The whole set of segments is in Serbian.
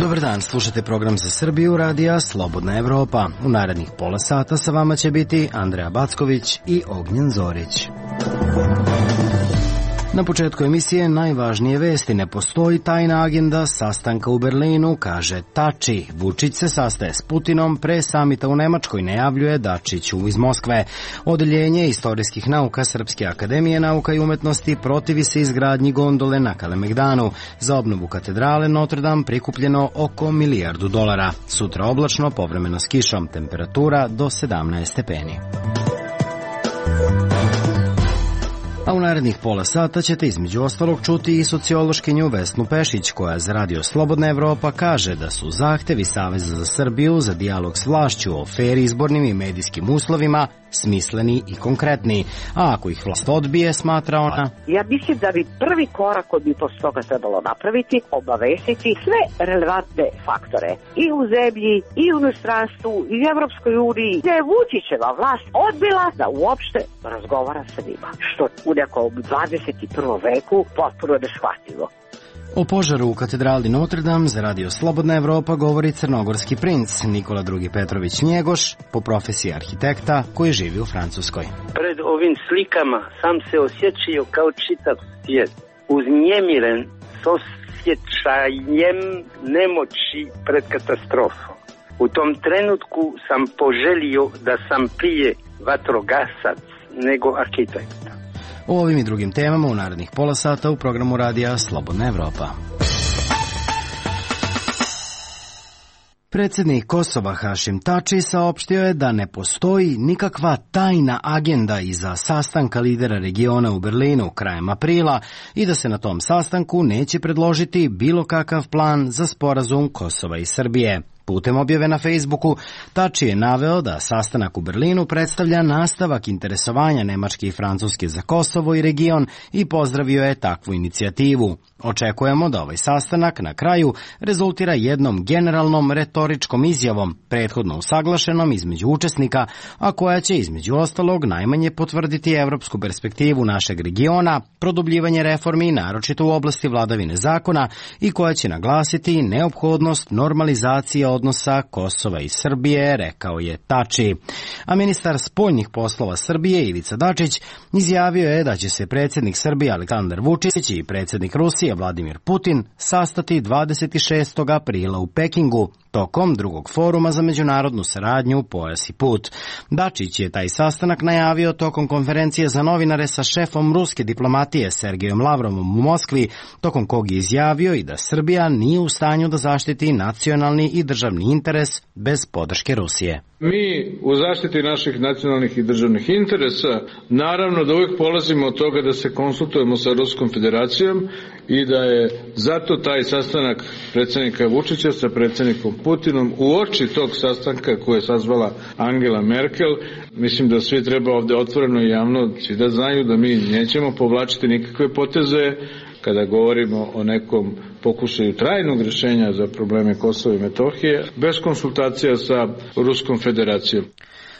Dobar dan, slušate program za Srbiju radija Slobodna Evropa. U narednih pola sata sa vama će biti Andreja Backović i Ognjen Zorić. Na početku emisije najvažnije vesti. Ne postoji tajna agenda sastanka u Berlinu, kaže Tači. Vučić se sastaje s Putinom, pre samita u Nemačkoj najavljuje Dačiću iz Moskve. Odeljenje istorijskih nauka Srpske akademije nauka i umetnosti protivi se izgradnji gondole na Kalemegdanu. Za obnovu katedrale Notre Dame prikupljeno oko $1 milijardu. Sutra oblačno, povremeno s kišom, temperatura do 17 stepeni. A u narednih pola sata ćete između ostalog čuti i sociološkinju Vesnu Pešić, koja za radio Slobodna Evropa kaže da su zahtevi Saveza za Srbiju za dijalog s vlašću o fer izbornim i medijskim uslovima smisleni i konkretni, a ako ih vlast odbije, smatra ona. Ja mislim da bi prvi korak koji bi posle toga trebalo napraviti, obavestiti sve relevantne faktore i u zemlji, i u inostranstvu, i u Evropskoj uniji, gde je Vučićeva vlast odbila da uopšte razgovara sa njima, što u nekom 21. veku potpuno neshvatljivo. O požaru u katedrali Notre Dame za radio Slobodna Evropa govori crnogorski princ Nikola II. Petrović Njegoš, po profesiji arhitekta koji živi u Francuskoj. Pred ovim slikama sam se osjećao kao čitav svijet, uznemiren s osjećajem nemoći pred katastrofom. U tom trenutku sam poželio da sam prije vatrogasac nego arhitekta. O ovim i drugim temama u narednih pola sata u programu radija Slobodna Evropa. Predsjednik Kosova Hašim Tači saopštio je da ne postoji nikakva tajna agenda iza sastanka lidera regiona u Berlinu krajem aprila i da se na tom sastanku neće predložiti bilo kakav plan za sporazum Kosova i Srbije. Putem objave na Facebooku, Tači je naveo da sastanak u Berlinu predstavlja nastavak interesovanja Nemačke i Francuske za Kosovo i region i pozdravio je takvu inicijativu. Očekujemo da ovaj sastanak na kraju rezultira jednom generalnom retoričkom izjavom, prethodno usaglašenom između učesnika, a koja će između ostalog najmanje potvrditi evropsku perspektivu našeg regiona, produbljivanje reformi naročito u oblasti vladavine zakona i koja će naglasiti neophodnost normalizacije odnosa Kosova i Srbije, rekao je Tači. A ministar spoljnih poslova Srbije Ivica Dačić izjavio je da će se predsjednik Srbije Aleksandar Vučić i predsjednik Rusije Vladimir Putin sastati 26. aprila u Pekingu tokom drugog foruma za međunarodnu saradnju Pojas i put. Dačić je taj sastanak najavio tokom konferencije za novinare sa šefom ruske diplomatije Sergejom Lavrovom u Moskvi, tokom kog je izjavio i da Srbija nije u stanju da zaštiti nacionalni i državni interes bez podrške Rusije. Mi u zaštiti naših nacionalnih i državnih interesa naravno da uvijek polazimo od toga da se konsultujemo sa Ruskom federacijom i da je zato taj sastanak predsjednika Vučića sa predsjednikom Putinom u oči tog sastanka koje je sazvala Angela Merkel. Mislim da svi treba ovdje otvoreno i javno svi da znaju da mi nećemo povlačiti nikakve poteze kada govorimo o nekom pokušaju trajnog rješenja za probleme Kosova i Metohije, bez konsultacija sa Ruskom federacijom.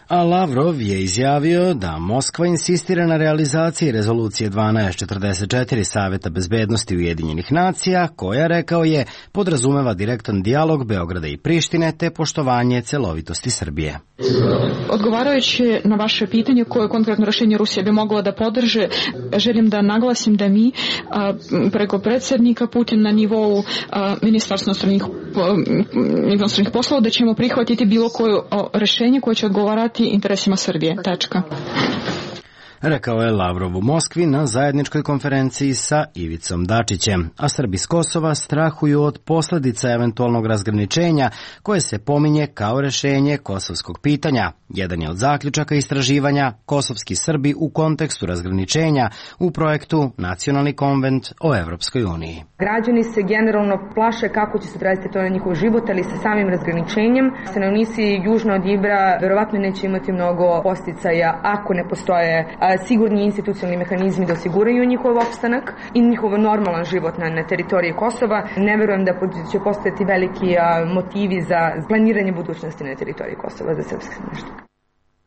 A Lavrov je izjavio da Moskva insistira na realizaciji rezolucije 1244 Saveta bezbednosti Ujedinjenih nacija, koja, rekao je, podrazumeva direktan dijalog Beograda i Prištine te poštovanje celovitosti Srbije. Odgovarajući na vaše pitanje koje konkretno rješenje Rusija bi mogla da podrže, želim da naglasim da mi preko predsjednika Putin na nivou Ministarstva inostranih poslova da ćemo prihvatiti bilo koje rješenje koje će odgovarati interesima Srbije. Tačka. Rekao je Lavrov u Moskvi na zajedničkoj konferenciji sa Ivicom Dačićem, a Srbi s Kosova strahuju od posljedica eventualnog razgraničenja koje se pominje kao rješenje kosovskog pitanja. Jedan je od zaključaka istraživanja Kosovski Srbi u kontekstu razgraničenja u projektu Nacionalni konvent o Evropskoj uniji. Građani se generalno plaše kako će se odraziti to na njihov život, ali sa samim razgraničenjem stanovnici južno od Ibra verovatno neće imati mnogo posticaja ako ne postoje sigurni institucionalni mehanizmi da osiguraju njihov opstanak i njihov normalan život na teritoriji Kosova. Ne verujem da će postojati veliki motivi za planiranje budućnosti na teritoriji Kosova za srpske stanovništvo.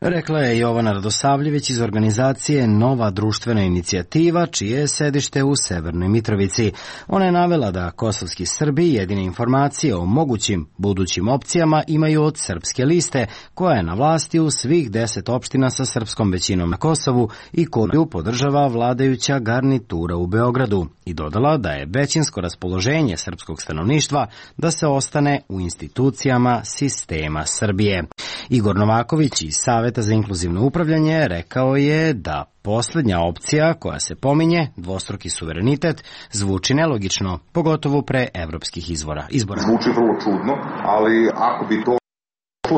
Rekla je Jovana Radosavljević iz organizacije Nova društvena inicijativa, čije je sedište u Severnoj Mitrovici. Ona je navela da kosovski Srbi jedine informacije o mogućim budućim opcijama imaju od Srpske liste, koja je na vlasti u svih 10 opština sa srpskom većinom na Kosovu i koju podržava vladajuća garnitura u Beogradu, i dodala da je većinsko raspoloženje srpskog stanovništva da se ostane u institucijama sistema Srbije. Igor Novaković iz Saveta za inkluzivno upravljanje rekao je da posljednja opcija koja se pominje, dvostruki suverenitet, zvuči nelogično, pogotovo pre evropskih izbora. Zvuči vrlo čudno, ali ako bi to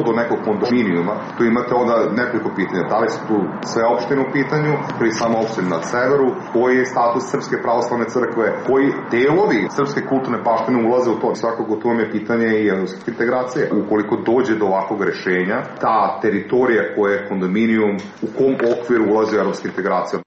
do nekog kondominijuma, tu imate onda nekoliko pitanja. Da li su tu sve opštine u pitanju, pri samo opštine na severu, koji je status Srpske pravoslavne crkve, koji delovi srpske kulturne baštine ulaze u to. Svakako tu vam je pitanje i evropskih integracije. Ukoliko dođe do ovakvog rešenja, ta teritorija koja je kondominijum, u kom okviru ulaze evropske integracije?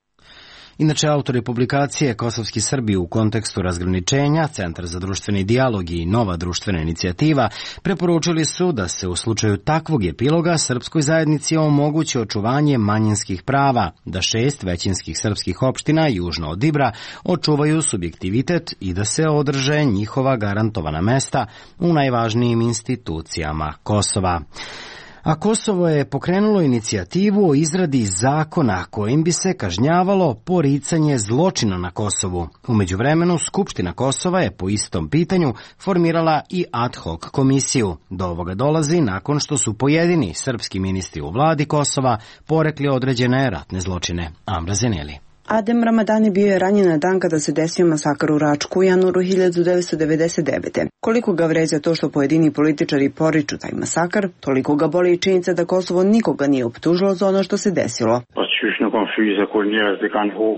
Inače, autori publikacije Kosovski Srbi u kontekstu razgraničenja, Centar za društveni dijalog i Nova društvena inicijativa preporučili su da se u slučaju takvog epiloga srpskoj zajednici omogući očuvanje manjinskih prava, da 6 većinskih srpskih opština južno od Ibra očuvaju subjektivitet i da se održe njihova garantovana mesta u najvažnijim institucijama Kosova. A Kosovo je pokrenulo inicijativu o izradi zakona kojim bi se kažnjavalo poricanje zločina na Kosovu. U međuvremenu, Skupština Kosova je po istom pitanju formirala i ad hoc komisiju. Do ovoga dolazi nakon što su pojedini srpski ministri u vladi Kosova porekli određene ratne zločine. Amra Zeneli. Adem Ramadani bio je ranjen na dan kada se desio masakr u Račku u januaru 1999. Koliko ga vređa to što pojedini političari poriču taj masakar, toliko ga boli i činjenica da Kosovo nikoga nije optužilo za ono što se desilo.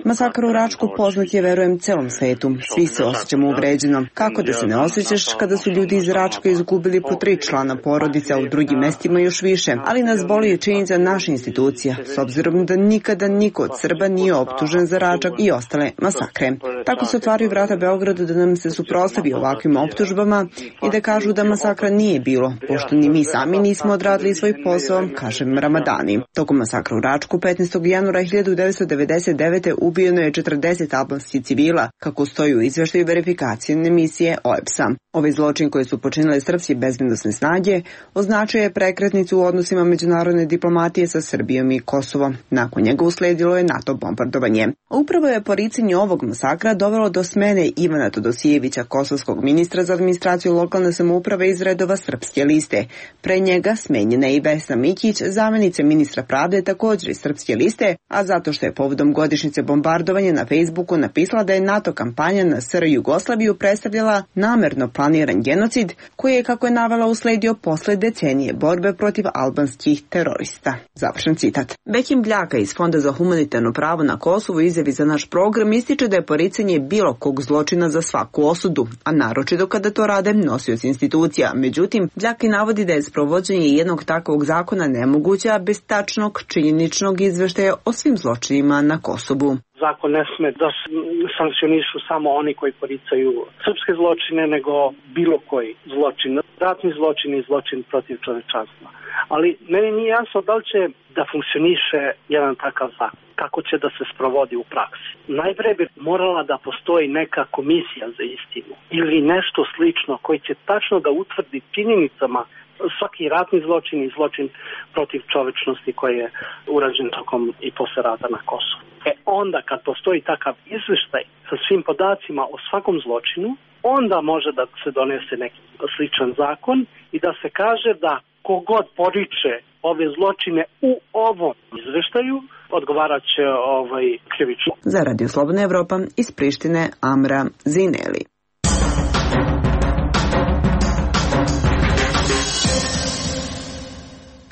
Masakr u Račku poznat je, verujem, celom svetu. Svi se osjećamo uvređeno. Kako da se ne osjećaš kada su ljudi iz Račka izgubili po 3 člana porodice, a u drugim mestima još više. Ali nas boli i činjenica naša institucija, s obzirom da nikada niko od Srba nije optužen za Račak i ostale masakre. Tako se otvaraju vrata Beogradu da nam se suprotstavi ovakvim optužbama i da kažu da masakra nije bilo, pošto ni mi sami nismo odradili svoj posao, kaže Ramadani. Tokom masakra u Račku 15. januara 1999. ubijeno je 40 albanskih civila, kako stoji u izveštaju verifikacijne misije OEBS-a. Ovaj zločin koji su počinile srpske bezbednosne snage označio je prekretnicu u odnosima međunarodne diplomatije sa Srbijom i Kosovom. Nakon njega usledilo je NATO bombardovanje. Upravo je poricanje ovog masakra dovelo do smene Ivana Todosijevića, kosovskog ministra za administraciju lokalne samouprave iz redova Srpske liste. Pre njega smenjena je i Vesna Mikić, zamjenica ministra pravde, također iz Srpske liste, a zato što je povodom godišnjice bombardovanja na Facebooku napisala da je NATO kampanja na SR Jugoslaviju predstavljala namerno planiran genocid, koji je, kako je navela, usledio posle decenije borbe protiv albanskih terorista. Završen citat. Bekim Bljaka iz Fonda za humanitarno pravo na Kosovu izjavi za naš program ističe da je poricanje bilo kog zločina za svaku osudu, a naročito kada to rade nosioci institucija. Međutim, Bljaki navodi da je sprovođenje jednog takvog zakona nemoguće, a bez tačnog činjeničnog izveštaja o svim zločinima na Kosovu. Zakon ne sme da sankcionišu samo oni koji poricaju srpske zločine, nego bilo koji zločin, ratni zločin i zločin protiv čovečanstva. Ali meni nije jasno da li će da funkcioniše jedan takav zakon, kako će da se sprovodi u praksi. Najpre bi morala da postoji neka komisija za istinu ili nešto slično koji će tačno da utvrdi činjenicama svaki ratni zločin i zločin protiv čovečnosti koji je urađen tokom i posle rata na Kosovu. Onda kad postoji takav izveštaj sa svim podacima o svakom zločinu, onda može da se donese neki sličan zakon i da se kaže da kogod poriče ove zločine u ovom izveštaju, odgovarat će krivično. Za Radio Slobodna Evropa iz Prištine, Amra Zineli.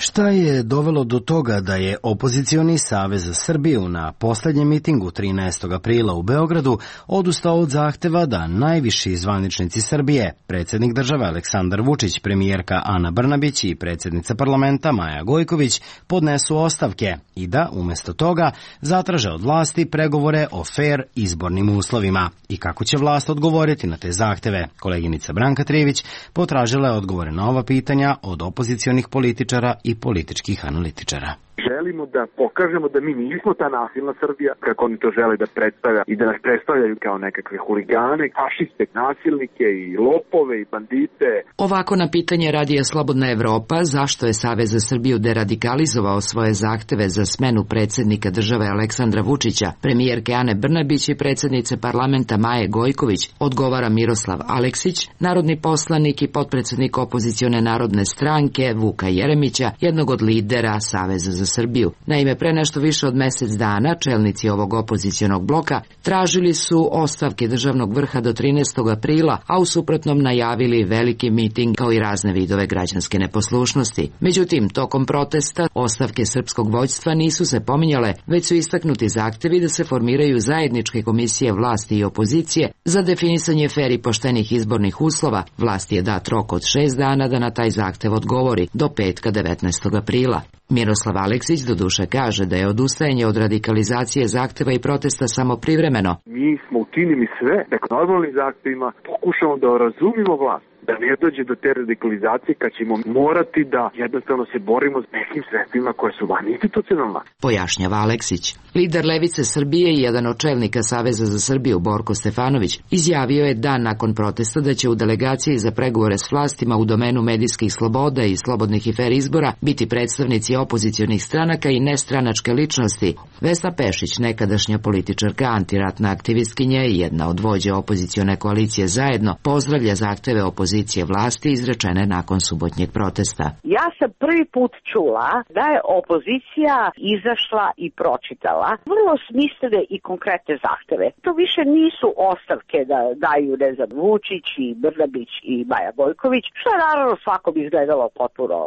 Šta je dovelo do toga da je opozicioni Savez za Srbiju na poslednjem mitingu 13. aprila u Beogradu odustao od zahteva da najviši zvaničnici Srbije, predsjednik države Aleksandar Vučić, premijerka Ana Brnabić i predsjednica parlamenta Maja Gojković podnesu ostavke i da, umjesto toga, zatraže od vlasti pregovore o fair izbornim uslovima. I kako će vlast odgovoriti na te zahteve? Koleginica Branka Trijević potražila je odgovore na ova pitanja od opozicionih političara i političkih analitičara. želimo da pokažemo da mi nismo ta nasilna Srbija, kako oni to žele da predstavlja i da nas predstavljaju kao nekakve huligane, fašiste, nasilnike i lopove i bandite. Ovako na pitanje Radija Slobodna Evropa zašto je Savez za Srbiju deradikalizovao svoje zahteve za smenu predsjednika države Aleksandra Vučića, premijerke Ane Brnabić i predsjednice parlamenta Maje Gojković, odgovara Miroslav Aleksić, narodni poslanik i potpredsjednik opozicione Narodne stranke Vuka Jeremića, jednog od lidera Saveza za Srbiju. Naime, pre nešto više od mjesec dana čelnici ovog opozicionog bloka tražili su ostavke državnog vrha do 13. aprila, a u suprotnom najavili veliki miting kao i razne vidove građanske neposlušnosti. Međutim, tokom protesta ostavke srpskog vođstva nisu se pominjale, već su istaknuti zahtevi da se formiraju zajedničke komisije vlasti i opozicije za definisanje fer i poštenih izbornih uslova. Vlasti je dat rok od 6 dana da na taj zahtev odgovori do petka 19. aprila. Miroslav Aleksić doduše kaže da je odustajanje od radikalizacije zahteva i protesta samo privremeno. Mi smo učinili sve da normalnim zahtevima pokušamo da razumimo vlast, da ne dođe do te radikalizacije kad ćemo morati da jednostavno se borimo s nekim sredstvima koje su van institucionalna. Pojašnjava Aleksić. Lider Levice Srbije i jedan od čelnika Saveza za Srbiju Borko Stefanović izjavio je dan nakon protesta da će u delegaciji za pregovore s vlastima u domenu medijskih sloboda i slobodnih i fer izbora biti predstavnici opozicionih stranaka i nestranačke ličnosti. Vesna Pešić, nekadašnja političarka, antiratna aktivistkinja i jedna od vođa opozicione koalicije Zajedno, pozdravlja zahteve opozicije vlasti izrečene nakon subotnjeg protesta. Ja sam prvi put čula da je opozicija izašla i pročitala vrlo smislene i konkretne zahteve. To više nisu ostavke da daju, ne znam, Vučić i Brnabić i Maja Gojković, što je naravno svakom izgledalo potpuno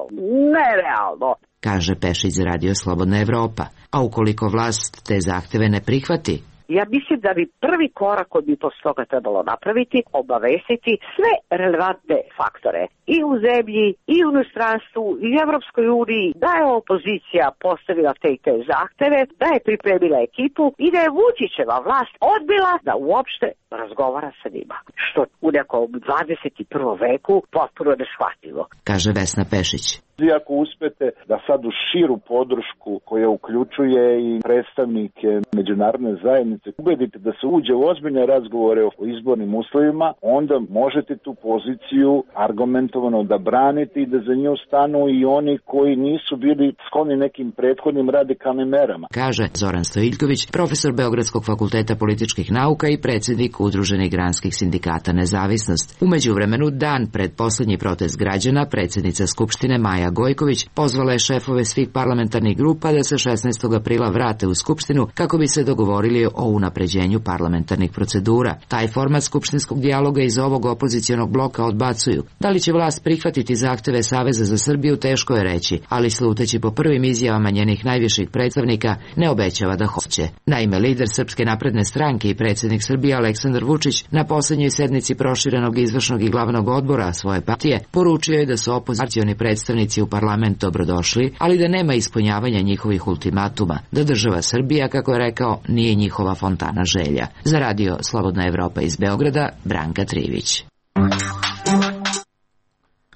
nerealno, kaže Pešić za Radio Slobodna Evropa. A ukoliko vlast te zahteve ne prihvati? Ja mislim da bi prvi korak koji bi posle toga trebalo napraviti, obavestiti sve relevantne faktore i u zemlji, i u inostranstvu, i u Evropskoj uniji, da je opozicija postavila te zahteve, da je pripremila ekipu i da je Vučićeva vlast odbila da uopšte razgovara sa njima. Što u nekom 21. veku potpuno neshvatljivo, kaže Vesna Pešić. Vi ako uspete da sad u širu podršku koja uključuje i predstavnike međunarodne zajednice ubedite da se uđe u ozbiljne razgovore o izbornim uslovima, onda možete tu poziciju argumentovano da branite i da za nju stanu i oni koji nisu bili skloni nekim prethodnim radikalnim merama, kaže Zoran Stojiljković, profesor Beogradskog fakulteta političkih nauka i predsjednik Udruženih granskih sindikata Nezavisnost. U međuvremenu, dan pred posljednji protest građana, predsjednica Skupštine Maja Gojković pozvala je šefove svih parlamentarnih grupa da se 16. aprila vrate u Skupštinu kako bi se dogovorili o unapređenju parlamentarnih procedura. Taj format skupštinskog dijaloga iz ovog opozicionog bloka odbacuju. Da li će vlast prihvatiti zahteve Saveza za Srbiju, teško je reći, ali sluteći po prvim izjavama njenih najviših predstavnika, ne obećava da hoće. Naime, lider Srpske napredne stranke i predsjednik Srbije Aleksandar Vučić na posljednjoj sednici proširenog izvršnog i glavnog odbora svoje partije poručio je da su opozicioni predstavnici u parlament dobrodošli, ali da nema ispunjavanja njihovih ultimatuma, da država Srbija, kako je rekao, nije njihova fontana želja. Za Radio Slobodna Evropa iz Beograda, Branka Trivić.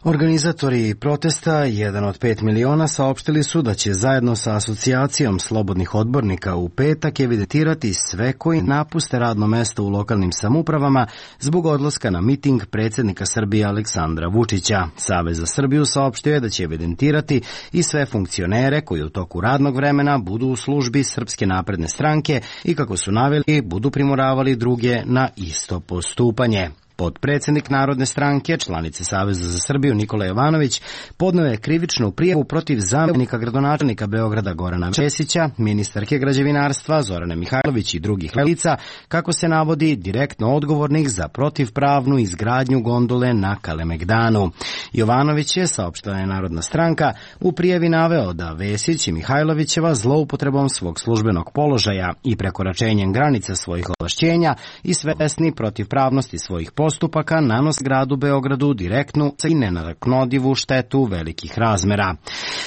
Organizatori protesta, 1 od 5 miliona, saopštili su da će zajedno sa Asocijacijom slobodnih odbornika u petak evidentirati sve koji napuste radno mesto u lokalnim samoupravama zbog odlaska na miting predsjednika Srbije Aleksandra Vučića. Savez za Srbiju saopštio je da će evidentirati i sve funkcionere koji u toku radnog vremena budu u službi Srpske napredne stranke i, kako su naveli, budu primoravali druge na isto postupanje. Potpredsjednik Narodne stranke, članice Saveza za Srbiju Nikola Jovanović, podneo je krivičnu prijavu protiv zamjenika gradonačelnika Beograda Gorana Vesića, ministarke građevinarstva Zorane Mihajlović i drugih lica, kako se navodi, direktno odgovornih za protivpravnu izgradnju gondole na Kalemegdanu. Jovanović je, saopštila je Narodna stranka, u prijavi naveo da Vesić i Mihajlovićeva zloupotrebom svog službenog položaja i prekoračenjem granica svojih ovlašćenja i svesni protivpravnosti svojih poslova postupaka nanos gradu Beogradu direktnu i nenadoknadivu štetu velikih razmera.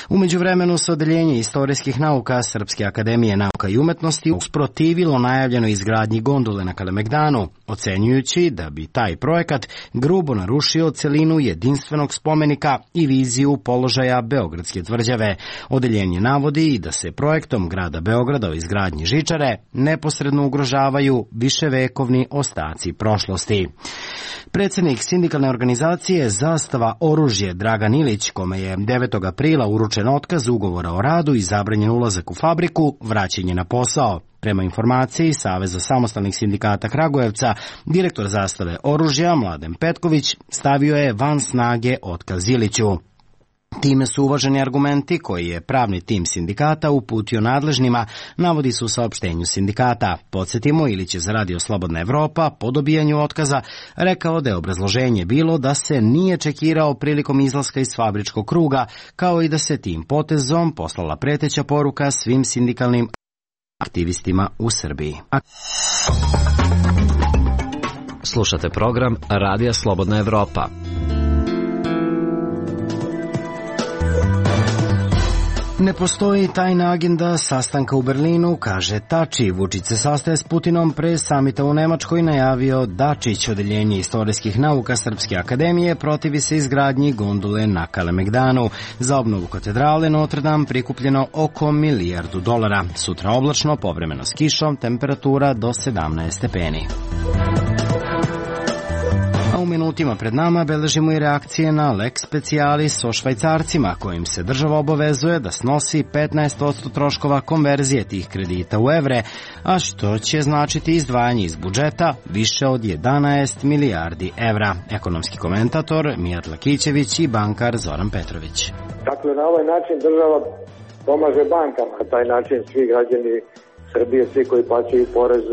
U međuvremenu se Odeljenje istorijskih nauka Srpske akademije nauka i umetnosti usprotivilo najavljenoj izgradnji gondole na Kalemegdanu, ocenjujući da bi taj projekat grubo narušio celinu jedinstvenog spomenika i viziju položaja Beogradske tvrđave. Odeljenje navodi i da se projektom grada Beograda o izgradnji žičare neposredno ugrožavaju viševekovni ostaci prošlosti. Predsjednik sindikalne organizacije Zastava oružje Dragan Ilić, kome je 9. aprila uručen otkaz ugovora o radu i zabranjen ulazak u fabriku, vraćen je na posao. Prema informaciji Saveza samostalnih sindikata Kragujevca, direktor Zastave oružja Mladen Petković stavio je van snage otkaz Iliću. Time su uvaženi argumenti koji je pravni tim sindikata uputio nadležnima, navodi se u saopštenju sindikata. Podsjetimo, Ilić je za Radio Slobodna Evropa po dobijanju otkaza rekao da je obrazloženje bilo da se nije čekirao prilikom izlaska iz fabričkog kruga, kao i da se tim potezom poslala preteća poruka svim sindikalnim aktivistima u Srbiji. Slušate program Radija Slobodna Evropa. Ne postoji tajna agenda sastanka u Berlinu, kaže Tači. Vučić se sastaje s Putinom pre samita u Nemačkoj, najavio Dačić. Odeljenje istorijskih nauka Srpske akademije protivi se izgradnji gondole na Kalemegdanu. Za obnovu katedrale Notre Dame prikupljeno oko $1 milijardu. Sutra oblačno, povremeno s kišom, temperatura do 17 stepeni. U minutima pred nama beležimo i reakcije na lex specialis o Švajcarcima, kojim se država obavezuje da snosi 15% troškova konverzije tih kredita u evre, a što će značiti izdvajanje iz budžeta više od 11 milijardi evra. Ekonomski komentator Mijat Lakićević i bankar Zoran Petrović. Dakle, na ovaj način država pomaže bankama, na taj način svi građani Srbije, svi koji plaćaju porez,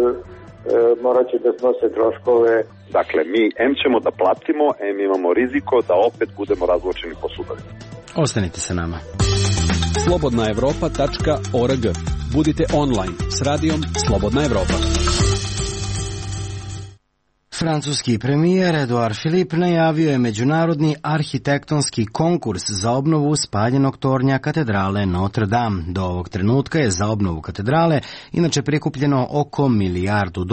morat će da snose troškove. Dakle, mi ćemo da platimo, imamo riziko da opet budemo razvučeni po sudovima. Ostanite sa nama. slobodnaevropa.org. Budite online s radijom Slobodna Evropa. Francuski premijer Edouard Philippe najavio je međunarodni arhitektonski konkurs za obnovu spaljenog tornja katedrale Notre Dame. Do ovog trenutka je za obnovu katedrale inače prikupljeno oko $1 milijardu.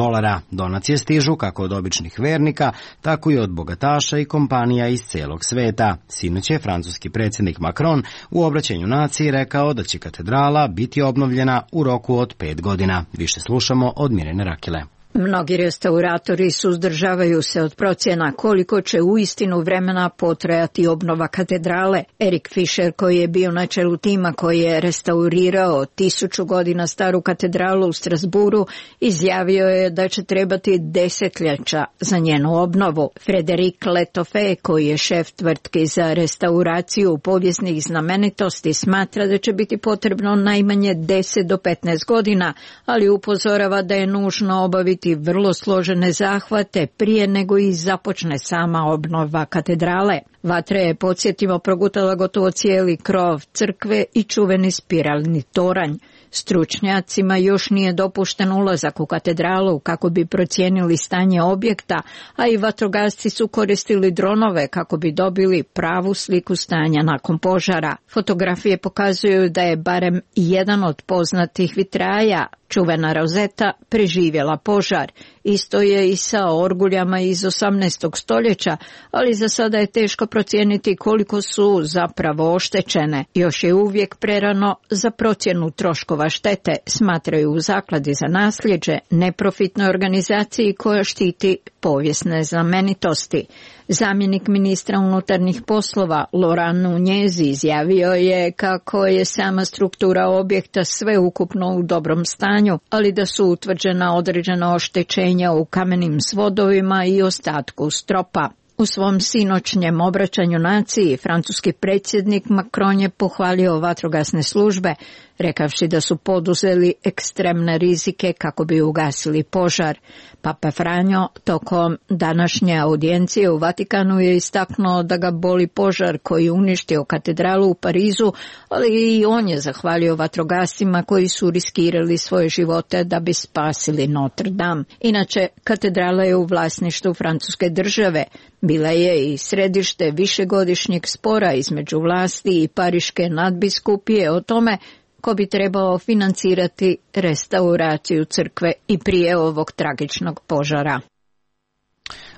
Donacije stižu kako od običnih vernika, tako i od bogataša i kompanija iz celog sveta. Sinoć je francuski predsjednik Macron u obraćanju naciji rekao da će katedrala biti obnovljena u roku od 5 godina. Više slušamo od Mirjane Rakile. Mnogi restauratori suzdržavaju se od procjena koliko će uistinu vremena potrajati obnova katedrale. Erik Fischer, koji je bio na čelu tima koji je restaurirao 1000 godina staru katedralu u Strasburu, izjavio je da će trebati desetljeća za njenu obnovu. Frederik Letoffe, koji je šef tvrtke za restauraciju povijesnih znamenitosti, smatra da će biti potrebno najmanje 10 do 15 godina, ali upozorava da je nužno obaviti vrlo složene zahvate prije nego i započne sama obnova katedrale. Vatra je, podsjetimo, progutala gotovo cijeli krov crkve i čuveni spiralni toranj. Stručnjacima još nije dopušten ulazak u katedralu kako bi procijenili stanje objekta, a i vatrogasci su koristili dronove kako bi dobili pravu sliku stanja nakon požara. Fotografije pokazuju da je barem jedan od poznatih vitraja, čuvena rozeta, preživjela požar. Isto je i sa orguljama iz 18. stoljeća, ali za sada je teško procijeniti koliko su zapravo oštećene. Još je uvijek prerano za procjenu troškova štete, smatraju u Zakladi za nasljeđe, neprofitnoj organizaciji koja štiti povijesne znamenitosti. Zamjenik ministra unutarnjih poslova Laurent Nunez izjavio je kako je sama struktura objekta sveukupno u dobrom stanju, ali da su utvrđena određena oštećenja u kamenim svodovima i ostatku stropa. U svom sinoćnjem obraćanju naciji, francuski predsjednik Macron je pohvalio vatrogasne službe, rekavši da su poduzeli ekstremne rizike kako bi ugasili požar. Papa Franjo tokom današnje audijencije u Vatikanu je istaknuo da ga boli požar koji je uništio katedralu u Parizu, ali i on je zahvalio vatrogascima koji su riskirali svoje živote da bi spasili Notre Dame. Inače, katedrala je u vlasništvu francuske države. Bila je i središte višegodišnjeg spora između vlasti i pariške nadbiskupije o tome ko bi trebao financirati restauraciju crkve i prije ovog tragičnog požara.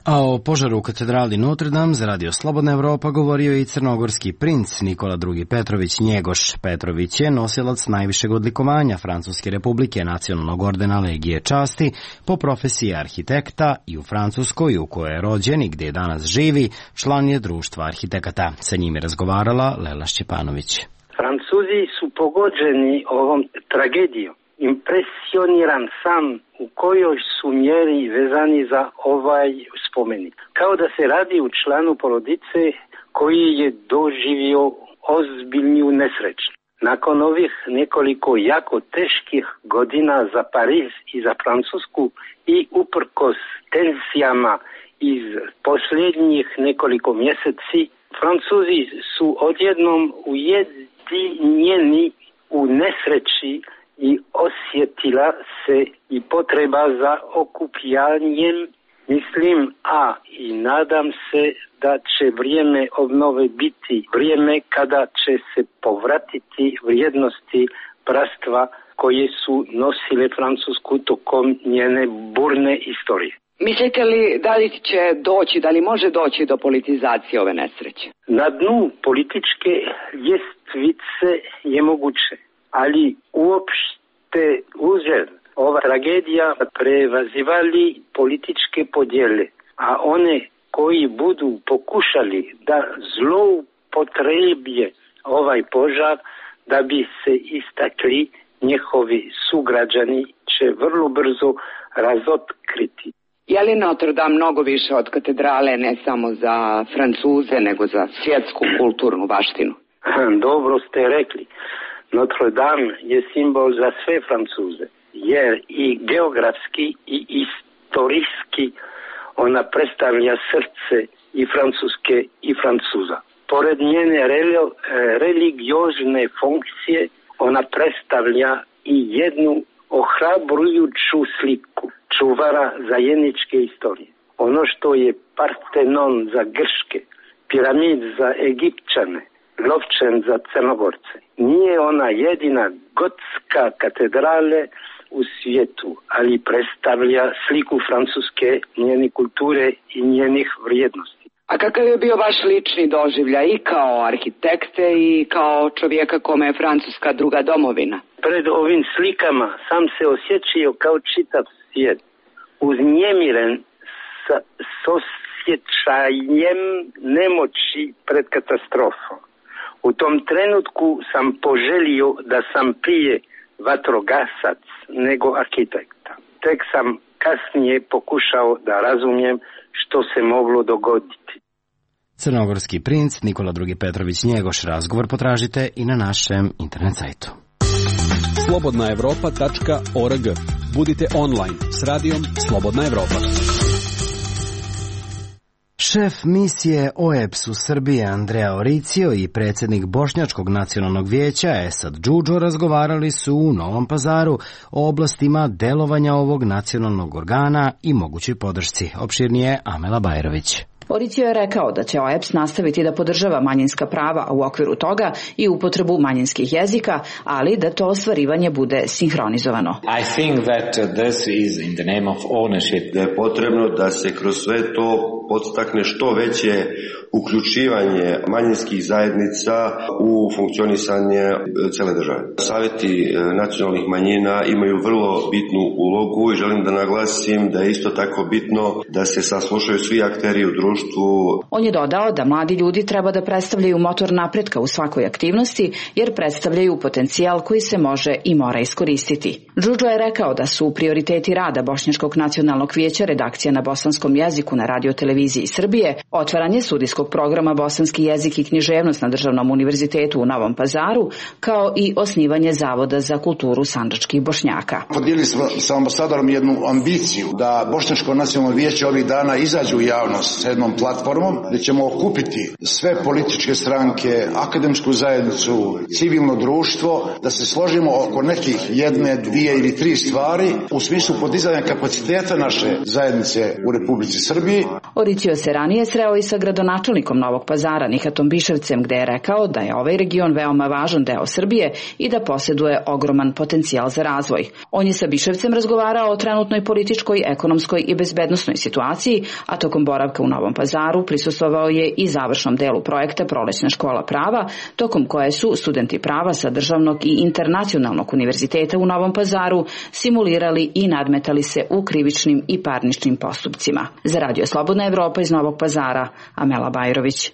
A o požaru u katedrali Notre Dame za Radio Slobodna Evropa govorio i crnogorski princ Nikola II. Petrović Njegoš. Petrović je nosilac najvišeg odlikovanja Francuske republike, nacionalnog ordena Legije časti, po profesiji arhitekta i u Francuskoj, u kojoj je rođen i gdje danas živi, član je društva arhitekata. Sa njim je razgovarala Lela Šćepanović. Francuzi su pogođeni ovom tragedijom. Impresioniran sam u kojoj su mjeri vezani za ovaj spomenik. Kao da se radi u članu porodice koji je doživio ozbiljnu nesreću. Nakon ovih nekoliko jako teških godina za Pariz i za Francusku i uprkos tenzijama iz posljednjih nekoliko mjeseci, Francuzi su odjednom ujedinjeni u nesreći i osjetila se i potreba za okupljanjem, mislim, i nadam se da će vrijeme obnove biti vrijeme kada će se povratiti vrijednosti bratstva koje su nosile Francusku tokom njene burne istorije. Mislite li da li će doći, da li može doći do politizacije ove nesreće? Na dnu političke ljestvice je moguće, ali uopšte uzir ova tragedija prevazivali političke podjele, a one koji budu pokušali da zloupotrebje ovaj požar da bi se istakli njihovi sugrađani će vrlo brzo razotkriti. Je li Notre Dame mnogo više od katedrale ne samo za Francuze nego za svjetsku kulturnu baštinu? Dobro ste rekli. Notre Dame je simbol za sve Francuze, jer i geografski i istorijski ona predstavlja srce i Francuske i Francuza. Pored njene religiozne funkcije, ona predstavlja i jednu ohrabrujuću sliku čuvara zajedničke istorije. Ono što je Partenon za Grške, piramid za Egipćane, Lovčan za Crnogorce. Nije ona jedina gotska katedrale u svijetu, ali predstavlja sliku Francuske, njene kulture i njenih vrijednosti. A kakav je bio vaš lični doživljaj i kao arhitekte i kao čovjeka kome je Francuska druga domovina? Pred ovim slikama sam se osjećao kao čitav svijet, uznemiren s osjećajem nemoći pred katastrofom. U tom trenutku sam poželio da sam prije vatrogasac nego arhitekta. Tek sam kasnije pokušao da razumijem što se moglo dogoditi. Crnogorski princ Nikola II. Petrović Njegoš. Razgovor potražite i na našem internet sajtu. slobodnaevropa.org. Budite online s radijom Slobodna Evropa. Šef misije OEBS u Srbiji Andrea Oricio i predsjednik Bošnjačkog nacionalnog vijeća Esad Džudžo razgovarali su u Novom Pazaru o oblastima delovanja ovog nacionalnog organa i mogućoj podršci. Opširnije Amela Bajrović. Oricio je rekao da će OEBS nastaviti da podržava manjinska prava, a u okviru toga i upotrebu manjinskih jezika, ali da to ostvarivanje bude sinhronizovano. I think that this is in the name of ownership. Da je potrebno da se kroz sve to podstakne što veće uključivanje manjinskih zajednica u funkcionisanje cele države. Savjeti nacionalnih manjina imaju vrlo bitnu ulogu i želim da naglasim da je isto tako bitno da se saslušaju svi akteri u društvu. On je dodao da mladi ljudi treba da predstavljaju motor napretka u svakoj aktivnosti, jer predstavljaju potencijal koji se može i mora iskoristiti. Džudžo je rekao da su prioriteti rada Bošnjačkog nacionalnog vijeća redakcija na bosanskom jeziku na radioteleviziji Srbije, otvaranje studijskog programa bosanski jezik i književnost na Državnom univerzitetu u Novom Pazaru, kao i osnivanje Zavoda za kulturu sandžačkih Bošnjaka. Podijelili smo sa ambasadorom jednu ambiciju da Bošnjačko nacionalno vijeće ovih dana izađe u javnost sa jednom platformom gdje ćemo okupiti sve političke stranke, akademsku zajednicu, civilno društvo, da se složimo oko nekih jedne, dvije ili tri stvari u smislu podizanja kapaciteta naše zajednice u Republici Srbiji. Oricio se ranije sreo i sa gradonačelnikom Novog Pazara Nihatom Biševcem, gde je rekao da je ovaj region veoma važan deo Srbije i da posjeduje ogroman potencijal za razvoj. On je sa Biševcem razgovarao o trenutnoj političkoj, ekonomskoj i bezbednosnoj situaciji, a tokom boravka u Novom Pazaru prisustvovao je i završnom delu projekta Prolećna škola prava, tokom koje su studenti prava sa Državnog i Internacionalnog univerziteta u Novom Pazaru simulirali i nadmetali se u krivičnim i parničnim postupcima. Za Radio Slobodna Evropa iz Novog Pazara, Amela Bajrović.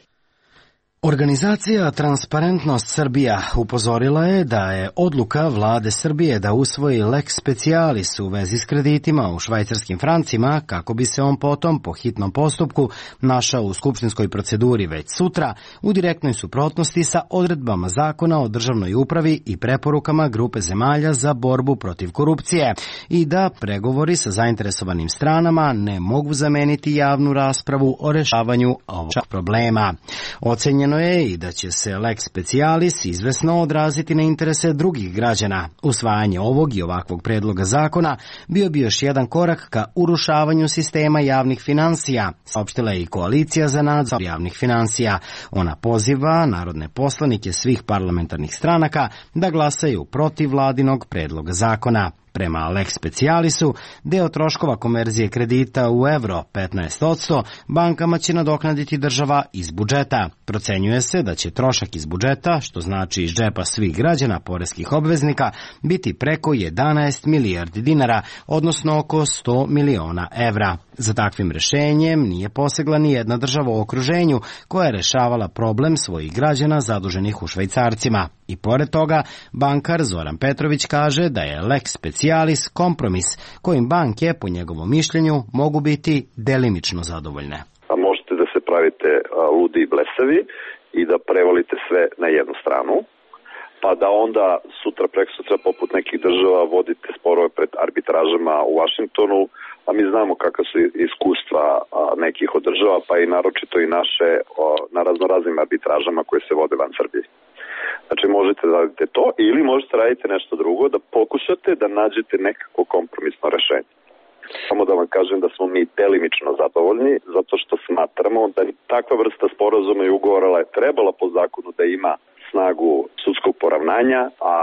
Organizacija Transparentnost Srbija upozorila je da je odluka vlade Srbije da usvoji lex specialis u vezi s kreditima u švajcarskim francima, kako bi se on potom po hitnom postupku našao u skupštinskoj proceduri već sutra, u direktnoj suprotnosti sa odredbama Zakona o državnoj upravi i preporukama grupe zemalja za borbu protiv korupcije i da pregovori sa zainteresovanim stranama ne mogu zameniti javnu raspravu o rešavanju ovog problema. Ocenjeno je i da će se lex specialis izvesno odraziti na interese drugih građana. Usvajanje ovog i ovakvog predloga zakona bio bi još jedan korak ka urušavanju sistema javnih finansija, saopštila je i Koalicija za nadzor javnih finansija. Ona poziva narodne poslanike svih parlamentarnih stranaka da glasaju protiv vladinog predloga zakona. Prema lex specialisu, deo troškova konverzije kredita u evro 15% bankama će nadoknaditi država iz budžeta. Procenjuje se da će trošak iz budžeta, što znači iz džepa svih građana poreskih obveznika, biti preko 11 milijardi dinara, odnosno oko 100 miliona evra. Za takvim rešenjem nije posegla ni jedna država u okruženju koja je rešavala problem svojih građana zaduženih u švajcarcima. I pored toga, bankar Zoran Petrović kaže da je lex specialis kompromis kojim banke, po njegovom mišljenju, mogu biti delimično zadovoljne. A možete da se pravite ludi i blesavi i da prevalite sve na jednu stranu, pa da onda sutra, preksutra, poput nekih država vodite sporove pred arbitražama u Vašingtonu, a mi znamo kakva su iskustva nekih od država, pa i naročito i naše na raznoraznim arbitražama koje se vode van Srbije. Znači možete da radite to ili možete raditi nešto drugo, da pokušate da nađete nekako kompromisno rešenje. Samo da vam kažem da smo mi delimično zadovoljni, zato što smatramo da takva vrsta sporazuma i ugovora je trebala po zakonu da ima snagu sudskog poravnanja, a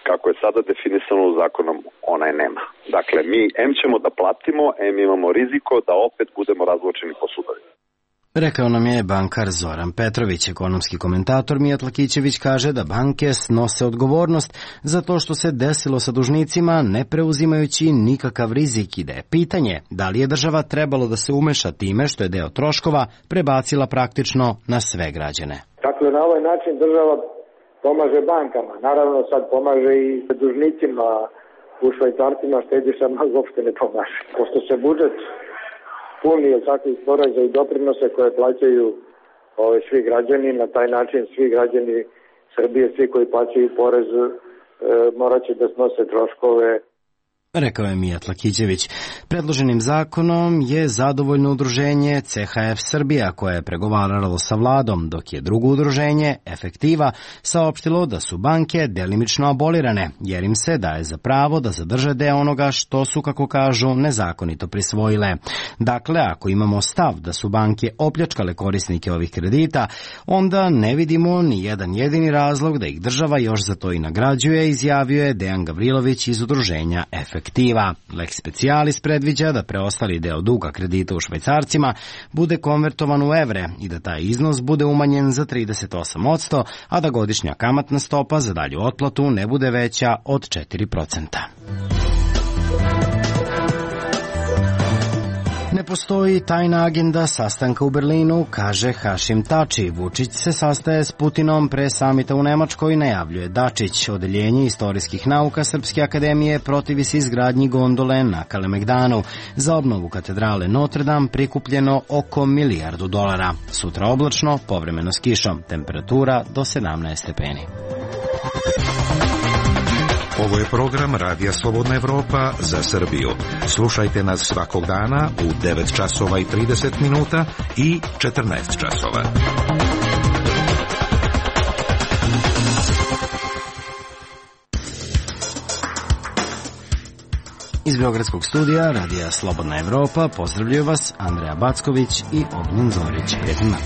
kako je sada definisano zakonom, ona je nema. Dakle, mi ćemo da platimo, imamo riziko da opet budemo razvlačeni po sudovima. Rekao nam je bankar Zoran Petrović. Ekonomski komentator Mijat Lakićević kaže da banke snose odgovornost za to što se desilo sa dužnicima, ne preuzimajući nikakav rizik, i da je pitanje da li je država trebalo da se umeša time što je deo troškova prebacila praktično na sve građane. Dakle, na ovaj način država pomaže bankama, naravno sad pomaže i dužnicima u švajcarcima, štedišama uopšte ne pomaže. Pošto se budžet puni od takvih poreza i doprinose koje plaćaju svi građani, na taj način svi građani Srbije, svi koji plaćaju porez, morat će da snose troškove. Rekao je Mijat Lakićević. Predloženim zakonom je zadovoljno udruženje CHF Srbija, koje je pregovaralo sa vladom, dok je drugo udruženje, Efektiva, saopštilo da su banke delimično abolirane, jer im se daje za pravo da zadrže deo onoga što su, kako kažu, nezakonito prisvojile. Dakle, ako imamo stav da su banke opljačkale korisnike ovih kredita, onda ne vidimo ni jedan jedini razlog da ih država još za to i nagrađuje, izjavio je Dejan Gavrilović iz udruženja Efektiva. Lex specialis predviđa da preostali deo duga kredita u švajcarcima bude konvertovan u evre i da taj iznos bude umanjen za 38%, a da godišnja kamatna stopa za dalju otplatu ne bude veća od 4%. postoji tajna agenda sastanka u Berlinu, kaže Hašim Tači. Vučić se sastaje s Putinom pre samita u Nemačkoj, najavljuje Dačić. Odeljenje istorijskih nauka Srpske akademije protivi se izgradnji gondole na Kalemegdanu. Za obnovu katedrale Notre Dame prikupljeno oko $1 milijardu. Sutra oblačno, povremeno s kišom. Temperatura do 17 stepeni. Ovo je program Radija Slobodna Evropa za Srbiju. Slušajte nas svakog dana u 9 časova i 30 minuta i 14 časova. Iz Beogradskog studija Radija Slobodna Evropa pozdravljaju vas Andreja Backović i Ognjen Zorić. Prijetno.